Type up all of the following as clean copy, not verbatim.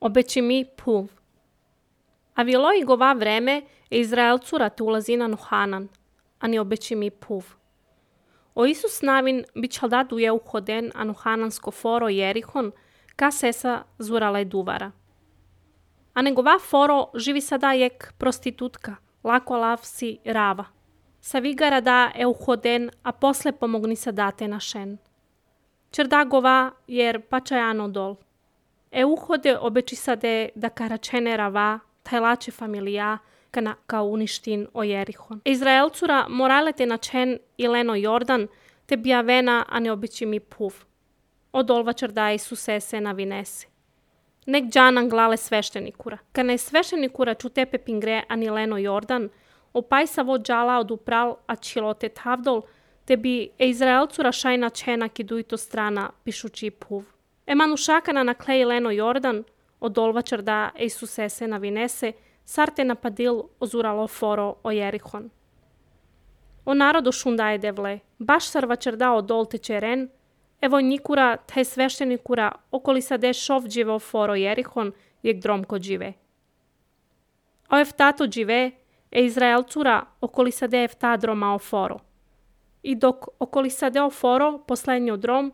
obeći mi puv. A vilo i gova vreme Izraelcura te ulazina no Hanan, ani obeći mi puv. O Isus navin bićal da duje uhoden anu Hanansko foro Jerihon, ka sesa zurala duvara. A negova foro živi sada jek prostitutka, lako lavsi rava. Sa vigara da uhoden, a posle pomogni sa date na šen. Čerda gova jer pačajano dol. Uhode obeći sade da karačene rava, tajlače familija, ka uništin o Jerihon. Izraelcura morale te načen i leno Jordan, te bijavena, a ne obeći mi puv. Odolva čerda Isuse se na vinese. Nek džanan glale sveštenikura. Ka ne sveštenikura čutepe pingre ani leno Jordan, opaj sa vo džala odupral a čilote tavdol, te bi Izraelcura šajna čena kiduito strana pišući puv. Emanušakana na klej leno Jordan, odolva čerda Isuse se na vinese, sarte napadil ozuralo foro o Jerihon. O narodu šundaje devle, baš sarva čerda odol tečeren, evo nikura taj sveštenikura okoli sade šovđivo foro Jerihon, jek dromko džive. O eftato džive, Izraelcura okoli sade efta droma o foro. I dok okoli sade o foro poslednjo drom,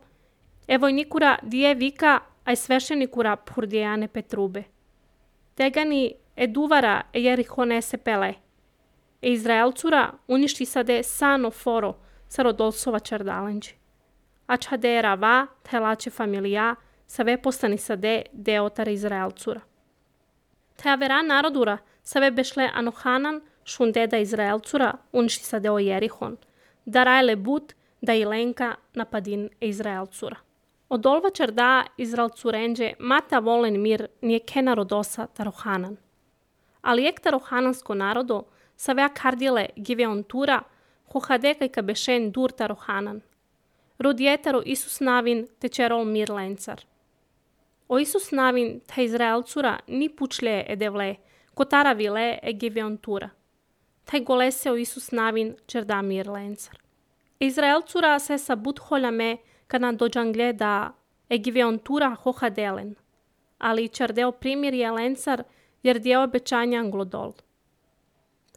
evo nikura dije vika, aj sveštenikura purdijane petrube. Tegani duvara Jerihone se pele. Izraelcura uništi sade sano foro sa rodolsova čerdalenđi. A čade rava, telače familija, save postani sade deotar Izraelcura. Te vera narodura save bešle anohanan šundeda Izraelcura uništi sade o Jerihon. Da rajle but da ilenka napadin Izraelcura. Odolva čerda Izraelcurenđe mata volen mir nije kena rodosa tarohanan. Ali ek tarohanansko narodo savea kardile giveontura hohadekaj ka bešen dur tarohanan. Rodjetaro Isus navin te čerol mir lencar. O Isus navin te Izraelcura ni pučle edevle, kotara vile giveontura. Taj golese o Isus navin čerda mir lencar. Izraelcura se sa but holjame kada dođangle da giveontura hohadelen. Ali čerdeo primir je lencar jer dio obećanja anglodol.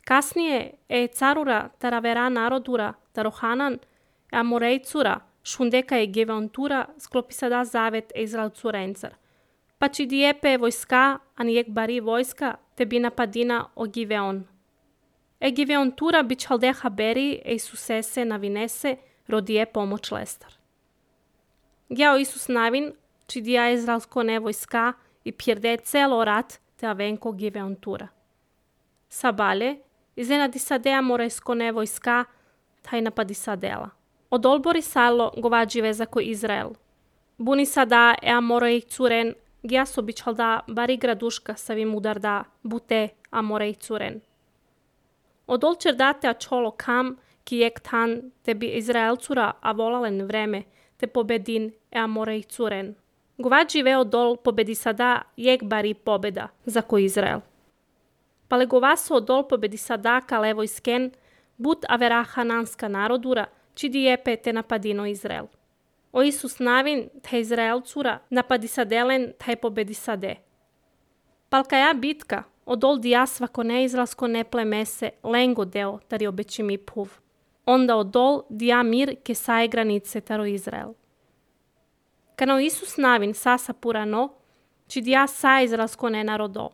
Kasnije carura taravera narodura tarohanan amorejcura šundeka je giveontura sklopi sada zavet Izraelcurencar. Pa či dijepe vojska, a nijek bari vojska, te bi napadina o Giveon. Giveontura bi čaldeha beri Isusese na vinese rodije pomoć lestar. Gjao Isus navin, či dija Izraelsko ne vojska i pjerde celo rat te avenko Giveontura. Sabalje, iznenadi sadea morejsko ne vojska, taj napadi sadela. Od olbori salo govađi vezako Izrael. Buni sada amorej curen, gja so bičalda bari graduška savim udarda bute amorej curen. Od olčer date a čolo kam, ki jek tan, te bi Izraelcura a volalen vreme, te pobedin amorej curen. Govađi veo dol pobedi sada jek bari pobeda, zako Izrael. Pale govaso od dol pobedi sada ka levoj sken, but avera hananska narodura, či dijepe te napadino Izrael. O Isus navin te Izraelcura napadi sadelen taj pobedi sade. Palkaja bitka, odol dija svako neizraelsko ne plemese lengo deo tari obeći mi puv. Onda odol dija mir ke saje granice taro Izrael. Kano Isus navin sasa purano, či dija saje izraelsko ne narodo.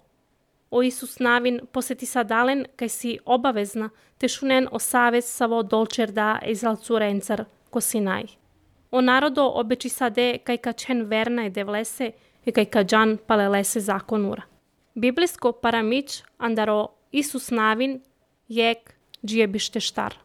O Isus navin poseti sadalen kaj si obavezna te šunen o savez savo dolčer da Izraelcurencar ko Sinaj. O narodo obeći sade kaj kačen verna devlese i kaj kađan palelese zakonura. Biblijsko paramić andaro Isus navin jek džije bište štar.